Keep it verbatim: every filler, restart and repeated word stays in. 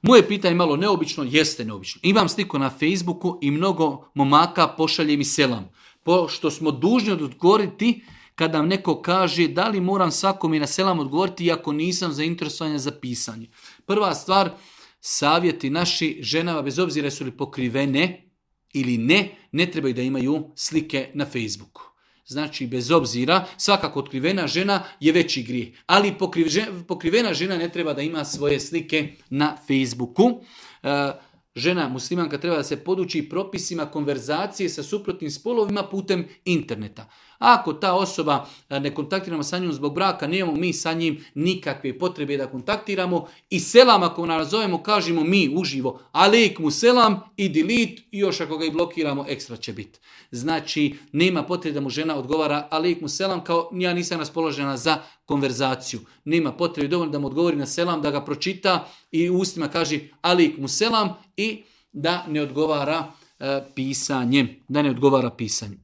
Moje pitanje malo neobično, jeste neobično. Imam sliku na Facebooku i mnogo momaka pošalje mi selam. Pošto smo dužni odgovoriti kada nam neko kaže da li moram svakome na selam odgovoriti iako nisam zainteresovan za pisanje. Prva stvar, savjeti naši ženama, bez obzira jesu li pokrivene ili ne, ne trebaju da imaju slike na Facebooku. Znači, bez obzira, svakako otkrivena žena je veći grijeh. Ali pokrivena žena ne treba da ima svoje slike na Facebooku. Žena muslimanka treba da se poduči propisima konverzacije sa suprotnim spolovima putem interneta. Ako ta osoba ne kontaktiramo sa njom zbog braka, nemamo mi sa njim nikakve potrebe da kontaktiramo i selam ako nazovemo, kažemo mi uživo alejkum selam i delete i još ako ga i blokiramo ekstra će biti. Znači nema potrebe da mu žena odgovara alejkum selam kao ja nisam raspoložena za konverzaciju. Nema potrebe dovoljno da mu odgovori na selam, da ga pročita i u ustima kaže alejkum selam i da ne odgovara uh, pisanjem. Da ne odgovara pisanjem.